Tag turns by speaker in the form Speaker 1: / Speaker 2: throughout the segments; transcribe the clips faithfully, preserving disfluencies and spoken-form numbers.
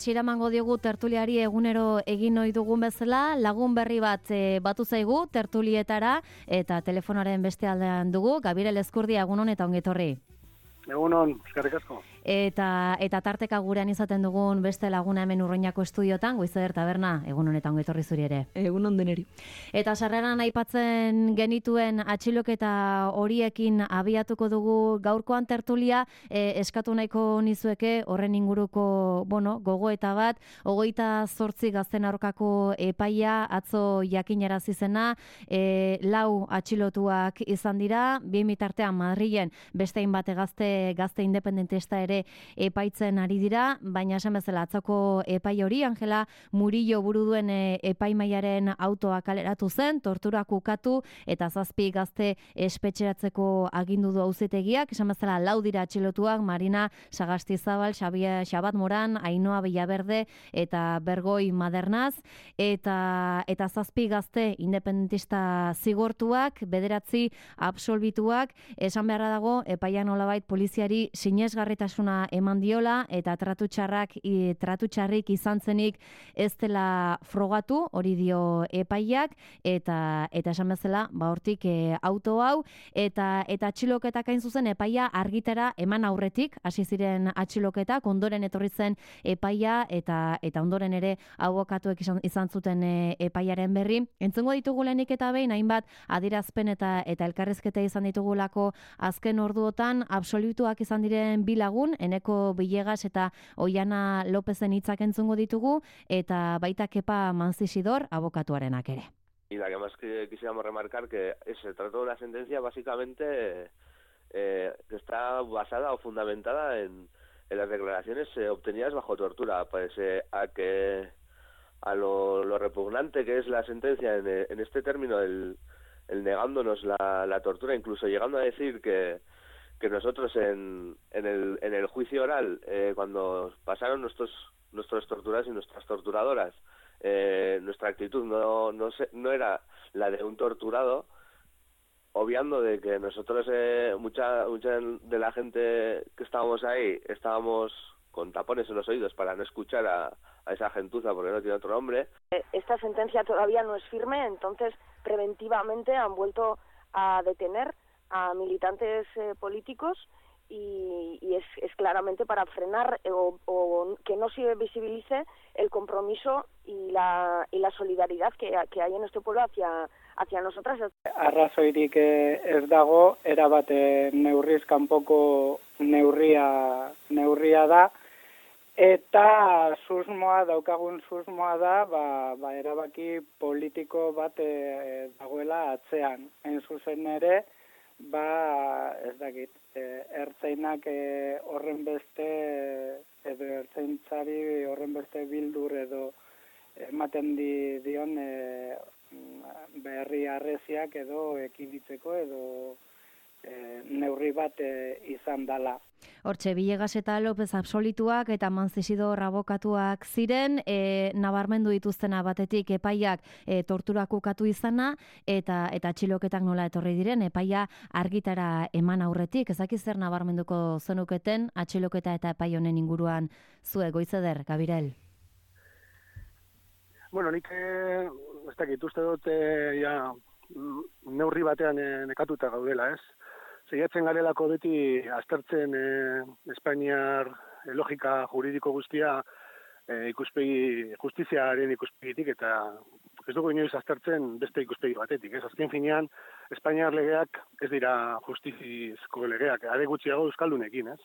Speaker 1: Txiramango diogu tertuliari egunero egin ohi dugun bezala, lagun berri bat e, batu zaigu tertulietara eta telefonoaren beste aldean dugu, Gabirel Ezkurdia, egunon eta ongetorri.
Speaker 2: Egunon, eskerrik asko.
Speaker 1: Eta eta tarteka gurean izaten dugun beste laguna hemen Urruñako estudiotan, Goizeder Taberna, egunon eta ongetorri zuri ere.
Speaker 3: Egunon deneri.
Speaker 1: Eta sarreran aipatzen genituen atxiloketa horiekin abiatuko dugu gaurkoan tertulia, e, eskatu nahiko nizueke horren inguruko, bueno, gogoeta bat, hogeita zortzi gazten aurkako epaia atzo jakinarazi zena, e, lau atxilotuak izan dira, bi mitartean Madrilen beste hainbat gazte gazte independentista ere epaitzen ari dira, baina esan bezala atzoko epai hori Angela Murillo buru duen e, epaimaiaren autoa kaleratu zen, torturak ukatu eta zazpi gazte espetxeratzeko agindu du auzitegiak, esan bezala lau dira atxilotuak, Marina Sagastizabal, Xabier Xabat Moran, Ainhoa Villaverde eta Bergoi Madernaz, eta eta zazpi gazte independentista zigortuak, bederatzi absolbituak, esan beharra dago epaian nolabait poliziari sinesgarritasuna eman diola eta tratu txarrak i, tratu txarrik izan zenik ez dela frogatu, hori dio epaiak, eta eta esan bezala, ba hortik e, auto hau eta eta atxiloketak hain zuzen epaia argitara eman aurretik hasi ziren atxiloketak, ondoren etorri zen epaia eta eta ondoren ere abokatuek izan, izan zuten e, epaiaren berri. Entzungo ditugu lehenik eta behin hainbat adierazpen eta eta elkarrizketa izan ditugulako azken orduotan absolutuak izan diren bi lagun, Eneko Villegas eta Oiana Lopezen hitzak entzungo ditugu, eta baita Kepa Manzisidor abokatuarenak ere.
Speaker 4: Y la que más que quisiéramos remarcar que se trata de una sentencia básicamente eh, que está basada o fundamentada en, en las declaraciones eh, obtenidas bajo tortura, pese a que a lo, lo repugnante que es la sentencia en, en este término, el, el negándonos la, la tortura, incluso llegando a decir que que nosotros en, en, el, en el juicio oral, eh, cuando pasaron nuestros nuestros torturados y nuestras torturadoras, eh, nuestra actitud no no, se, no era la de un torturado, obviando de que nosotros, eh, mucha mucha de la gente que estábamos ahí, estábamos con tapones en los oídos para no escuchar a, a esa gentuza porque no tiene otro nombre.
Speaker 5: Esta sentencia todavía no es firme, entonces preventivamente han vuelto a detener a militantes eh, políticos y, y es, es claramente para frenar eh, o, o que no se visibilice el compromiso y la, y la solidaridad que, que hay en este pueblo hacia, hacia nosotras.
Speaker 2: Arrazoirik ez dago, erabat neurriz kanpoko neurria, neurria da, eta susmoa, daukagun susmoa da, ba, ba erabaki politiko bat e, dagoela atzean. Hain zuzen ere, ba, ez dakit, e, ertzainak e, horren beste, edo ertzaintzari horren beste bildur edo ematen di, dion e, berri arreziak edo ekiditzeko edo e, neurri bat e, izan dala.
Speaker 1: Hortxe, Villegas eta López absolituak eta Manzisidor abokatuak ziren, e, nabarmendu dituztena batetik epaiak e, torturak ukatu izana, eta eta atxiloketak nola etorri diren, epaia argitara eman aurretik. Ezakiz zer nabarmenduko zenuketen atxiloketa eta epai honen inguruan zue, Goizeder, Gabirel?
Speaker 2: Bueno, nik ez dakit, uste dut e, ja, neurri batean e, nekatuta gaudela, ez? Saiatzen garelako beti aztertzen eh, Espainiar eh, logika juridiko guztia eh, ikuspegi justiziaren ikuspegitik eta ez dugu inoiz aztertzen beste ikuspegi batetik. Ez azken finean Espainiar legeak ez dira justizizko legeak, are gutxiago euskaldunekin, ez?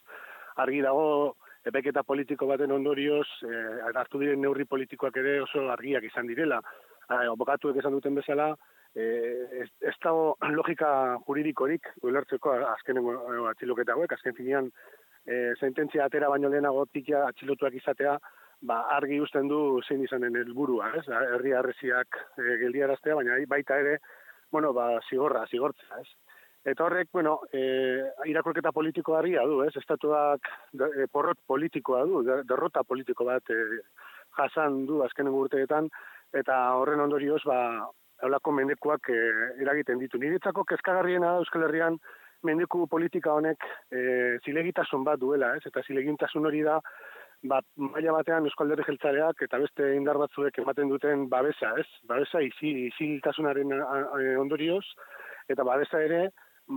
Speaker 2: Argi dago epaiketa politiko baten ondorioz eh, hartu diren neurri politikoak ere oso argiak izan direla. Eh, abokatuek esan duten bezala, Eh, ez, ez dago logika juridikorik ulertzeko azkenengo atxiloketa hauek, azken finean eh, sententzia atera baino lehenago tikia atxilotuak izatea, ba, argi uzten du zein izanen helburua, ez? Herri harresiak eh, geldiaraztea, baina baita ere, bueno, ba, zigorra, zigortzea, ez? Eta horrek, bueno, eh, irakurketa politiko harria du, ez? Estatuak de, porrot politikoa du, derrota politiko bat eh, jasan du azkenengo urteetan, eta horren ondorioz, ba, haulako mendekuak e, eragiten ditu. Niretzako kezkagarriena da Euskal Herrian mendeku politika honek e, zilegitasun bat duela, ez? Eta zilegintasun hori da ba, maila batean Eusko Alderdi Jeltzaleak eta beste indar batzuek ematen duten babesa, ez? Babesa isiltasunaren ondorioz, eta babesa ere,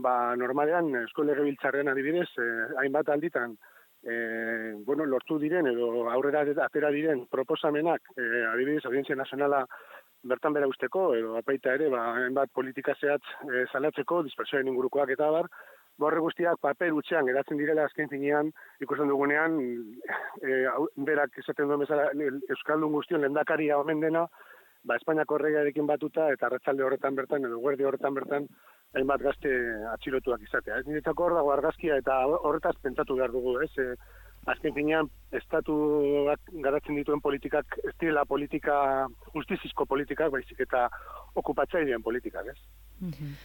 Speaker 2: ba, normalean Eusko Legebiltzarrean adibidez, eh, hainbat alditan, eh, bueno, lortu diren edo aurrera atera diren proposamenak, eh, adibidez, Audientzia Nazionala bertan bera usteko, edo apaita ere, ba, hainbat politika zehatz eh, salatzeko, dispersioaren ingurukoak eta bar, borre guztiak paper utxean geratzen direla azken finean, ikusten dugunean, e, berak esaten duen bezala, Euskaldun guztion lehendakaria omen dena, ba, Espainiako erregearekin batuta, eta arratsalde horretan bertan, edo guerdi horretan bertan, hainbat gazte atxilotuak izatea. Ez niretzako hor dago argazkia, eta horretaz pentsatu behar dugu, ez? E, azken finean, estatuak garatzen dituen politikak, ez direla politika, justizizko politikak, baizik eta okupatzailean politikak, ez?
Speaker 3: Mm-hmm.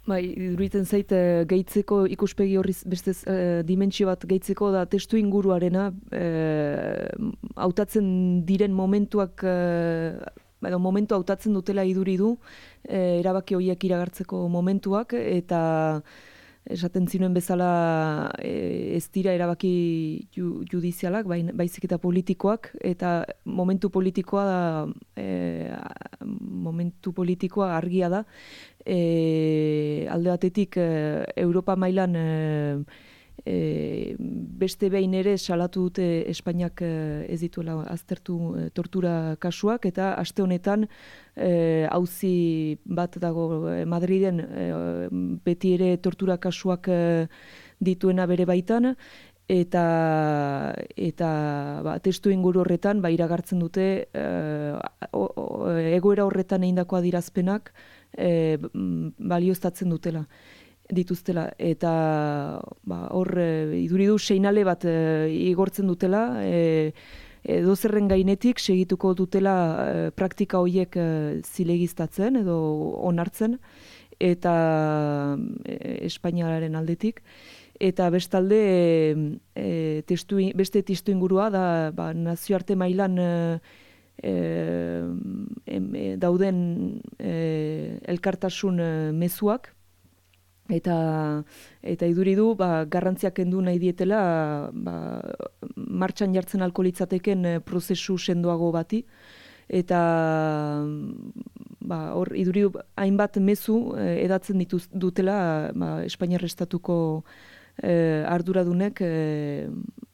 Speaker 3: Bai, iruditzen zait gehitzeko ikuspegi horri beste e, dimentsio bat gehitzeko da testu inguruarena hautatzen e, diren momentuak e, edo momentu hautatzen dutela iduri du e, erabaki horiek iragartzeko momentuak eta esaten zinuen bezala e, ez dira erabaki ju, judizialak, bai, baizik eta politikoak, eta momentu politikoa da, e, momentu politikoa argia da, e, alde batetik e, Europa mailan e, e, beste behin ere salatu dute Espainiak e, ez dituela aztertu e, tortura kasuak, eta aste honetan auzi bat dago Madriden e, beti ere tortura kasuak e, dituena bere baitan, eta eta ba, testu inguru horretan ba, iragartzen dute e, o, o, egoera horretan egindako adierazpenak e, balioztatzen dutela dituztela, eta ba, hor e, iduri du seinale bat e, igortzen dutela, e, edo zerren gainetik segituko dutela e, praktika horiek e, zilegiztatzen edo onartzen, eta e, Espainiaren aldetik. Eta bestalde e, testu, beste testu ingurua da ba, nazioarte mailan e, e, dauden e, elkartasun e, mezuak, eta eta iduri du ba, garrantziak kendu nahi dietela ba, martxan jartzen ahalko litzateken prozesu sendoago bati, eta ba, hor iduri hainbat mezu eh, edatzen dituz, dutela ba, Espainiar Estatuko eh, arduradunek eh,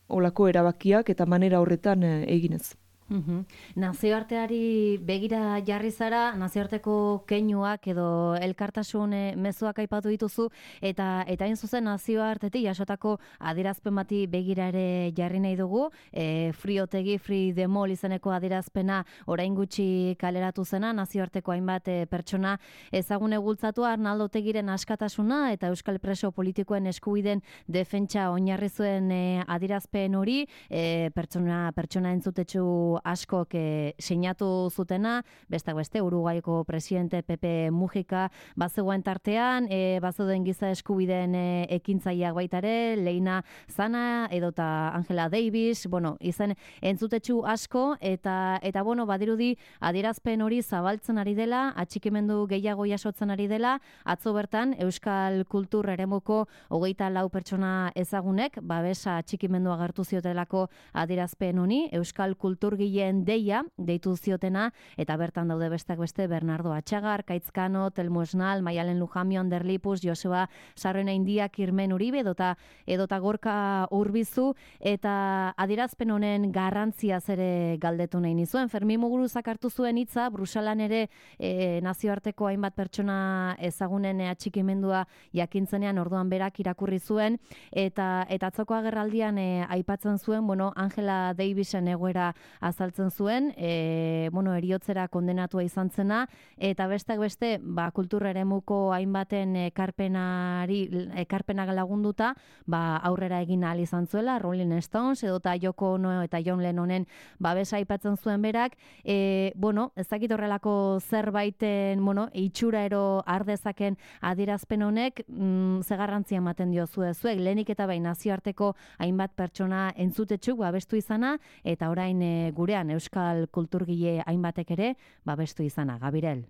Speaker 3: olako erabakiak eta manera horretan eh, eginez.
Speaker 1: Uhum. Nazioarteari begira jarri zara, nazioarteko keinuak edo elkartasun mezuak aipatu dituzu, eta eta hain zuzen nazioartetik jasotako adierazpen bati begira ere jarri nahi dugu, e, Free Otegi, Free the Mall izeneko adierazpena orain gutxi kaleratu zena, nazioarteko hainbat e, pertsona ezagune bultzatua Arnaldo Otegiren askatasuna eta euskal preso politikoen eskubideen defentsa oinarri zuen e, adierazpen hori, e, pertsona pertsona entzutetsu askok e, sinatu zutena, bestak beste Uruguaiko presidente Pepe Mujica bazegoen tartean, e, bazeuden giza eskubideen e, ekintzaileak baita ere, Leina Zana edota Angela Davis, bueno, izen entzutetsu asko, eta eta bueno, badirudi adierazpen hori zabaltzen ari dela, atxikimendu gehiago jasotzen ari dela, atzo bertan Euskal Kultur eremuko hogeita lau pertsona ezagunek, babesa atxikimendua agertu ziotelako adierazpen honi, Euskal Kultur deia, deitu ziotena, eta bertan daude bestak beste Bernardo Atxagar, Kaitzkano, Telmo Esnal, Maialen Lujamion, Derlipus, Joseba Sarrena India, Kirmen Uribe, edota, edota Gorka Urbizu, eta adierazpen honen garrantzia ere galdetu nahi nizuen. Fermin Muguruzak hartu zuen hitza, Bruselan ere e, nazioarteko hainbat pertsona ezagunen atxikimendua jakintzenean orduan berak irakurri zuen, eta eta atzoko agerraldian e, aipatzen zuen, bueno, Angela Davisen egoera azaltzen zuen, e, bueno, eriotzera kondenatua izan zena, eta bestak beste, ba, kultur eremuko hainbaten ekarpenari, ekarpenak lagunduta, ba, aurrera egin ahal izan zuela, Rolling Stones, edota Yoko Ono eta John Lennonen babesa aipatzen zuen berak, e, bueno, ez dakit horrelako zerbaiten, bueno, itxura ero ardezaken adierazpen honek, mm, ze garrantzia ematen dio zuek, lehenik eta bai nazioarteko hainbat pertsona entzutetxuk babestu izana, eta orain e, gurean euskal kulturgile hainbatek ere babestu izana. Gabirel.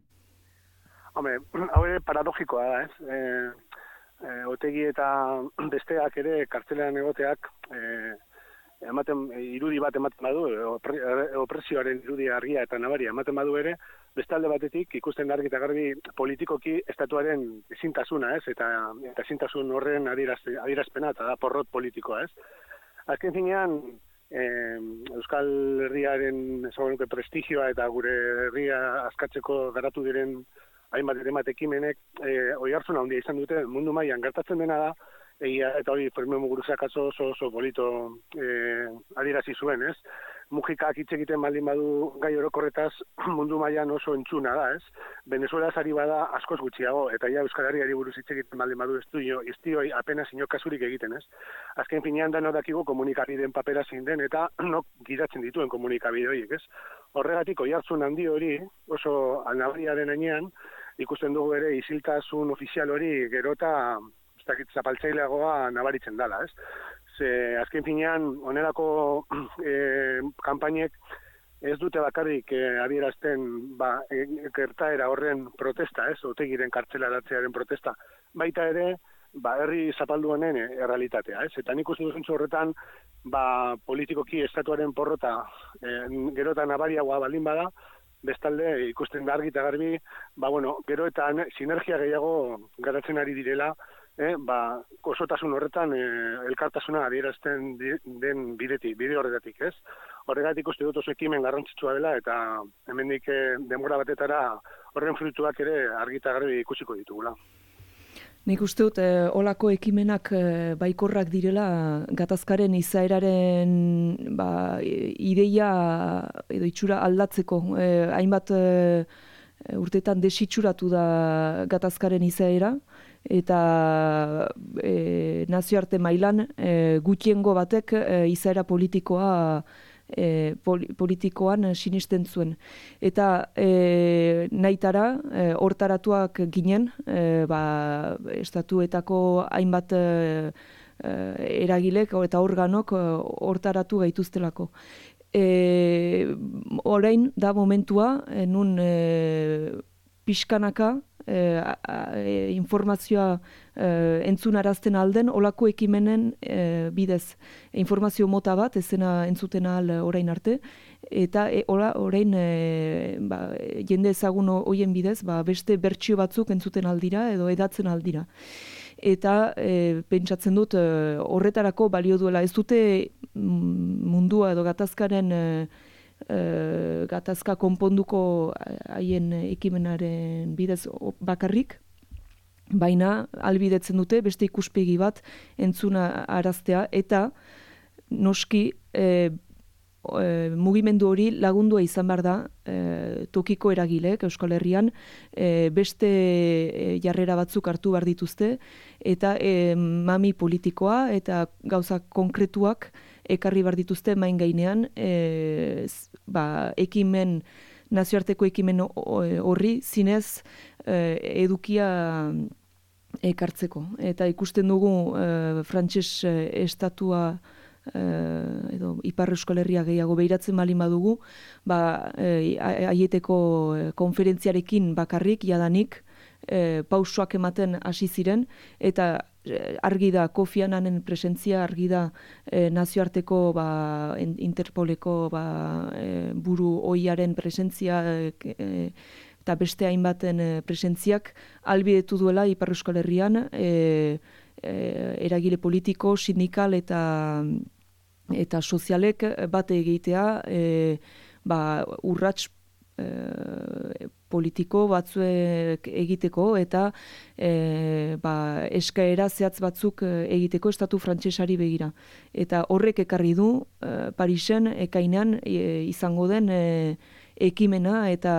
Speaker 2: Hombre, hau ere paradogikoa da, ez? E, e, Otegi eta besteak ere kartzelean egoteak e, ematen irudi bat ematen badu, opresioaren irudi argia eta nabaria ematen badu ere, bestalde batetik ikusten argi eta garbi politikoki estatuaren ezintasuna, ez? Eta eta ezintasun horren adierazpena eta da porrot politikoa, ez? Azken finean, eh, Euskal Herriaren ezagunuke prestigioa eta gure herria askatzeko garatu diren hainbat eremat ekimenek eh, oihartzuna handia izan dute mundu mailan gertatzen dena da, egia eta hori Fermín Muguruzak oso oso polito eh, adierazi zuen, ez? Mujikak hitz egiten baldin badu gai orokorretaz mundu mailan oso entzuna da, ez? Venezuela ari bada askoz gutxiago, eta ja Euskal Herriari buruz hitz egiten baldin badu ez du ez dio apenas inor kasurik egiten, ez? Azken finean da dakigu komunikabideen papera zein den eta nok gidatzen dituen komunikabide horiek, ez? Horregatik oihartzun handi hori oso nabariaren gainean ikusten dugu ere isiltasun ofizial hori gero eta ez dakit zapaltzaileagoa nabaritzen dela, ez? Ze azken finean onelako e, kanpainek ez dute bakarrik e, adierazten ba, e, gertaera horren protesta, ez? Otegiren kartzelaratzearen protesta. Baita ere, ba, herri zapaldu honen e, errealitatea, ez? Eta nik uste dut zentzu horretan, ba, politikoki estatuaren porrota e, gero eta nabariagoa baldin bada, bestalde ikusten da argi eta garbi, ba, bueno, gero eta sinergia gehiago garatzen ari direla, eh, ba, osotasun horretan eh, elkartasuna adierazten den bideti, bide horretatik, ez? Horregatik uste dut oso ekimen garrantzitsua dela, eta hemendik eh, denbora batetara horren fruituak ere argi eta garbi ikusiko ditugula.
Speaker 3: Nik uste dut, eh, olako ekimenak eh, baikorrak direla gatazkaren izaeraren ba, ideia edo itxura aldatzeko. Eh, hainbat eh, urtetan desitxuratu da gatazkaren izaera, eta eh, nazioarte mailan eh, gutiengo batek eh, izaera politikoa E, pol, politikoan sinisten zuen. Eta e, nahitara, e, hortaratuak ginen, e, ba, estatuetako hainbat e, e, eragilek eta organok hortaratu gaituztelako. E, orain da momentua, e, nun e, pixkanaka, E, a, e, informazioa e, entzunarazten alden, olako ekimenen e, bidez informazio mota bat, ezena entzuten ahal orain arte, eta e, ola, orain e, ba, jende ezagun hoien bidez, ba, beste bertsio batzuk entzuten aldira edo edatzen aldira. Eta e, pentsatzen dut e, horretarako balio duela. Ez dute mundua edo gatazkaren e, Uh, gatazka konponduko haien ekimenaren bidez bakarrik, baina albidetzen dute beste ikuspegi bat entzuna araztea, eta noski e, e, mugimendu hori lagundua izan behar da e, tokiko eragilek Euskal Herrian e, beste e, jarrera batzuk hartu behar dituzte, eta e, mami politikoa eta gauza konkretuak ekarri behar dituzte main gainean, e, ba, ekimen, nazioarteko ekimen horri zinez e, edukia ekartzeko. Eta ikusten dugu e, frantses estatua e, edo Ipar Euskal Herria gehiago behiratzen balin badugu, ba, e, aieteko konferentziarekin bakarrik, jadanik, e, pausoak ematen hasi ziren, eta argi da Kofi Annanen presentzia, argi da e, nazioarteko ba, Interpoleko ba, e, buru ohiaren presentzia e, eta beste hainbaten e, presentziak albidetu duela Ipar Euskal Herrian e, e, eragile politiko, sindikal eta eta sozialek bate egitea e, ba, urrats politiko batzuek egiteko eta e, ba, eskaera zehatz batzuk egiteko estatu frantsesari begira. Eta horrek ekarri du e, Parisen ekainean e, izango den e, ekimena eta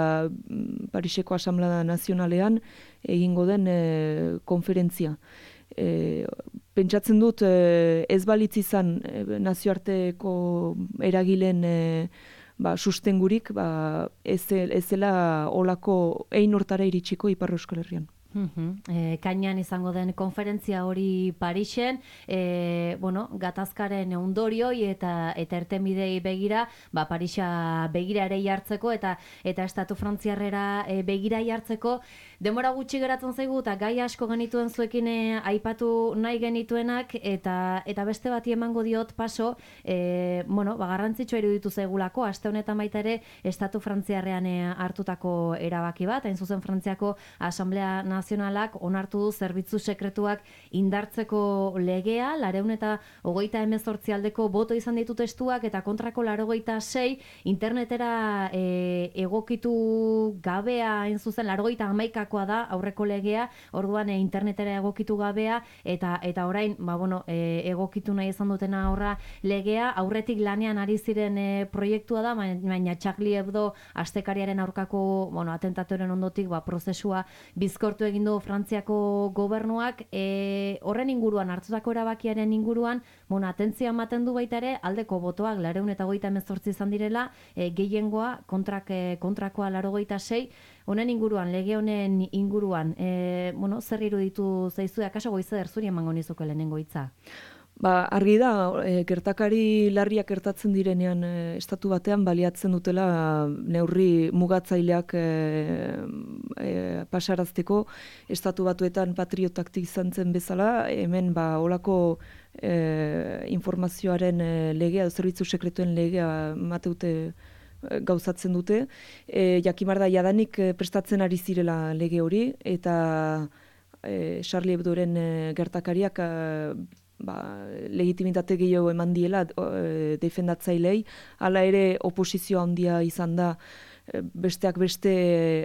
Speaker 3: Pariseko Asamblea Nazionalean egingo den e, konferentzia. E, pentsatzen dut e, ez balitz izan e, nazioarteko eragilen e, ba, sustengurik ba, ez, ez zela olako ein hortara iritsiko Ipar Euskal Herrian.
Speaker 1: Uhum. E, kainan izango den konferentzia hori Parisen, e, bueno, gatazkaren ondorioi eta eta ertenbidei begira, ba Parisa begira ere jartzeko eta eta estatu frantziarrera e, begira jartzeko denbora gutxi geratzen zaigu eta gai asko genituen zuekin e, aipatu nahi genituenak eta eta beste bati emango diot paso, e, bueno, ba garrantzitsua iruditu zaigulako aste honetan baita ere estatu frantziarrean e, hartutako erabaki bat, hain zuzen Frantziako Asamblea Nazionalak onartu du zerbitzu sekretuak indartzeko legea, laurehun eta hogeita hemezortzi aldeko boto izan ditu testuak eta kontrako laurogeita sei internetera e, egokitu gabea, hain zuzen laurogeita hamaikakoa da aurreko legea, orduan e, internetera egokitu gabea eta eta orain ba, bueno, e, egokitu nahi izan dutena horra legea, aurretik lanean ari ziren e, proiektua da, baina Charlie Hebdo astekariaren aurkako bueno, atentatoren ondotik ba, prozesua bizkortu egin du Frantziako gobernuak, e, horren inguruan, hartutako erabakiaren inguruan, bueno, atentzioa ematen du baita ere, aldeko botoak laurehun eta hogeita hemezortzi izan direla, e, gehiengoa kontrak, e, kontrakoa laurogeita sei, honen inguruan, lege honen inguruan, e, bueno, zer iruditu zaizu, akaso Goize zuri emango nizuke lehenengo hitza?
Speaker 3: Ba, argi da, e, gertakari larriak gertatzen direnean e, estatu batean baliatzen dutela neurri mugatzaileak e, e, pasarazteko estatu batuetan patriotaktik izan zen bezala, hemen ba, olako e, informazioaren e, legea, zerbitzu sekretuen legea mateute gauzatzen dute. E, jakimar da jadanik e, prestatzen ari zirela lege hori, eta e, Charlie Hebdoren e, gertakariak e, ba, legitimitate gehiago eman diela e, defendatzailei, hala ere oposizioa handia izan da e, besteak beste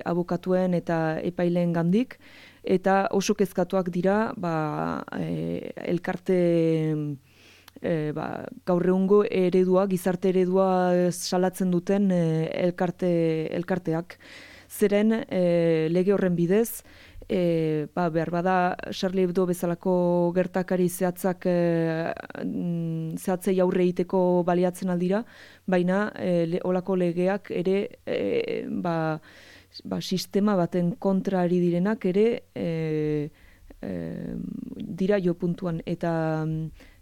Speaker 3: abokatuen eta epaileen gandik, eta oso kezkatuak dira ba, e, elkarte e, ba, gaur egungo eredua, gizarte eredua salatzen duten e, elkarte, elkarteak. Zeren e, lege horren bidez, E, ba, behar bada Charlie Hebdo bezalako gertakari zehatzak e, zehatzei aurre egiteko baliatzen aldira, baina e, le, olako legeak ere e, ba, ba, sistema baten kontra ari direnak ere e, e, dira jo puntuan, eta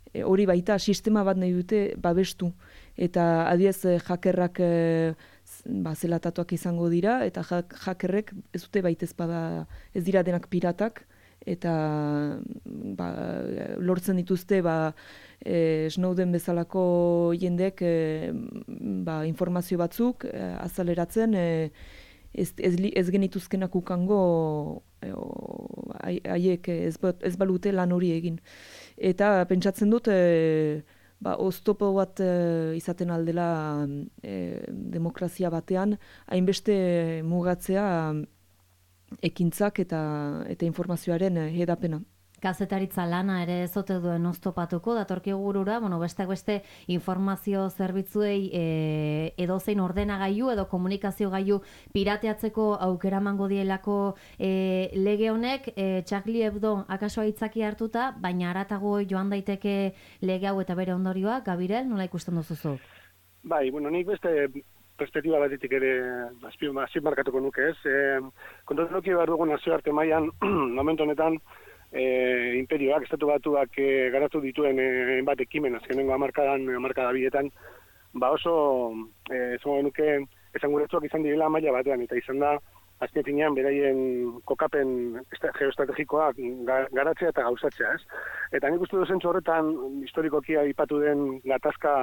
Speaker 3: e, hori baita sistema bat nahi dute babestu, eta adiez jakerrak e, ba, zelatatuak izango dira, eta jakerrek ez dute baitez bada ez dira denak piratak, eta ba, lortzen dituzte ba, e, Snowden bezalako jendek e, ba, informazio batzuk e, azaleratzen, e, ez, ez, ez genituzkenak ukango haiek e, ez, ez balute lan hori egin. Eta pentsatzen dut e, ba, oztopo bat e, izaten aldela e, demokrazia batean, hainbeste mugatzea ekintzak eta eta informazioaren hedapena.
Speaker 1: Kazetaritza lana ere ez ote duen oztopatuko, datorkigu burura, bueno, besteak beste informazio zerbitzuei e, edozein ordenagailu edo komunikazio gailu pirateatzeko aukera emango dielako e, lege honek, e, Charlie Hebdo akaso aitzaki hartuta, baina haratago joan daiteke lege hau eta bere ondorioa, Gabirel, nola ikusten duzu?
Speaker 2: Bai, bueno, nik beste perspektiba batetik ere azpimarratuko nuke, ez? E, Kontatu nuke behar dugu nazioarte mailan momentu honetan, E, imperioak, estatu batuak e, garatu dituen e, bat ekimen, azkenengo hamarkadan, hamarkada bietan, ba oso, e, zango genuke, esan guretzuak izan direla maila batean, eta izan da, azken finean, beraien kokapen geoestrategikoak garatzea eta gauzatzea, ez? Eta nik uste duzentzu horretan, historikoki aipatu den gatazka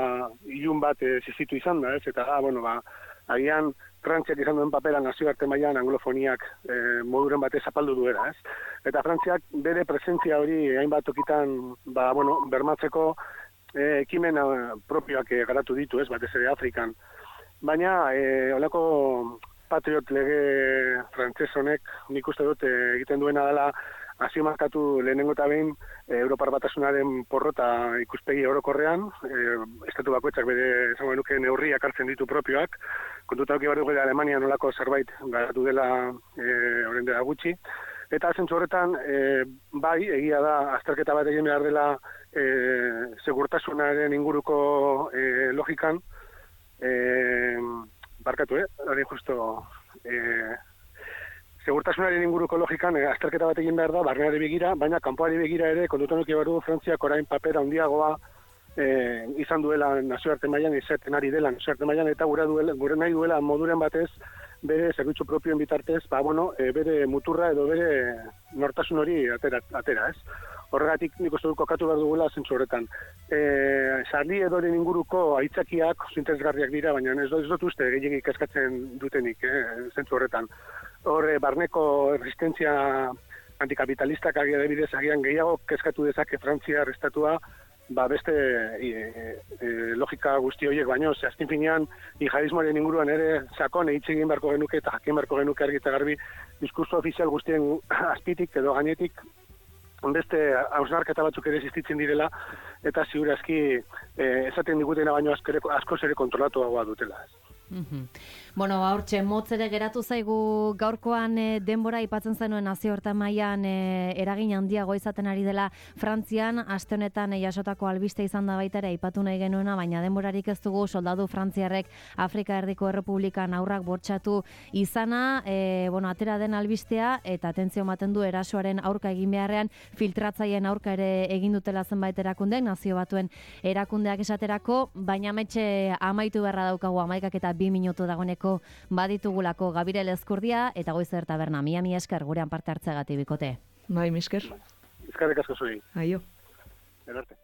Speaker 2: ilun bat e, zizitu izan da, ez? Eta, ah, bueno, ba, agian, Frantziak izan duen papera nazioarte mailan anglofoniak e, moduren batez zapaldu duera, ez? Eta Frantziak bere presentzia hori hainbat tokitan ba, bueno, bermatzeko e, ekimen propioak e, garatu ditu, ez? Batez ere Afrikan. Baina, e, olako patriot lege frantses honek nik uste dut e, egiten duena dela azpimarkatu lehenengo eta behin e, Europar Batasunaren porrota ikuspegi orokorrean, e, estatu bakoitzak bere esango nuke neurriak hartzen ditu propioak, kontuta auki behar dugu Alemania nolako zerbait garatu dela e, orain dela gutxi, eta zentzu horretan e, bai egia da azterketa bat egin behar dela e, segurtasunaren inguruko e, logikan, e, barkatu, eh? Hori justo e, segurtasunaren inguruko logikan e, azterketa bat egin behar da, barneari begira, baina kanpoari begira ere, kontutan eduki behar du Frantziak orain paper handiagoa e, izan duela nazioarte mailan, izaten ari dela nazioarte mailan, eta gure, duela, gure nahi duela moduren batez, bere zerbitzu propioen bitartez, ba, bueno, e, bere muturra edo bere nortasun hori atera, atera ez. Horregatik nik uste dut kokatu behar dugula zentzu horretan. E, Sarli edoren inguruko aitzakiak interesgarriak dira, baina ez dut, ez dut uste gehiagik eskatzen dutenik eh, zentzu horretan. Hor, barneko resistentzia antikapitalistak agia debidez agian gehiago kezkatu dezake Frantzia estatua, ba beste e, e, logika guzti horiek baino, ze azken finean jihadismoaren inguruan ere sakon hitz egin beharko genuke eta jakin beharko genuke argi eta garbi diskurso ofizial guztien azpitik edo gainetik beste hausnarketa batzuk ere existitzen direla, eta ziur aski eh, esaten digutena baino askoz ere kontrolatuagoa dutela.
Speaker 1: Mm-hmm. Bueno, hortxe, motz ere geratu zaigu gaurkoan e, denbora aipatzen zenuen nazioartean mailan e, eragin handiago izaten ari dela Frantzian, aste honetan e, jasotako albiste izan da baita ere aipatu nahi genuena, baina denborarik ez dugu soldadu frantziarrek Afrika Erdiko Errepublikan aurrak bortxatu izana, e, bueno, atera den albistea, eta atentzio ematen du erasoaren aurka egin beharrean, filtratzaileen aurka ere egin dutela zenbait erakundeak, nazio batuen erakundeak esaterako, baina metxe amaitu beharra daukagu amaikak eta bi minutu dagoeneko baditugulako Gabirel Ezkurdia eta Goizer Taberna. Mila mila esker gurean parte hartzeagatik bikote.
Speaker 3: Bai, misker.
Speaker 2: Eskerrik asko zuri.
Speaker 3: Aio.
Speaker 2: Erarte.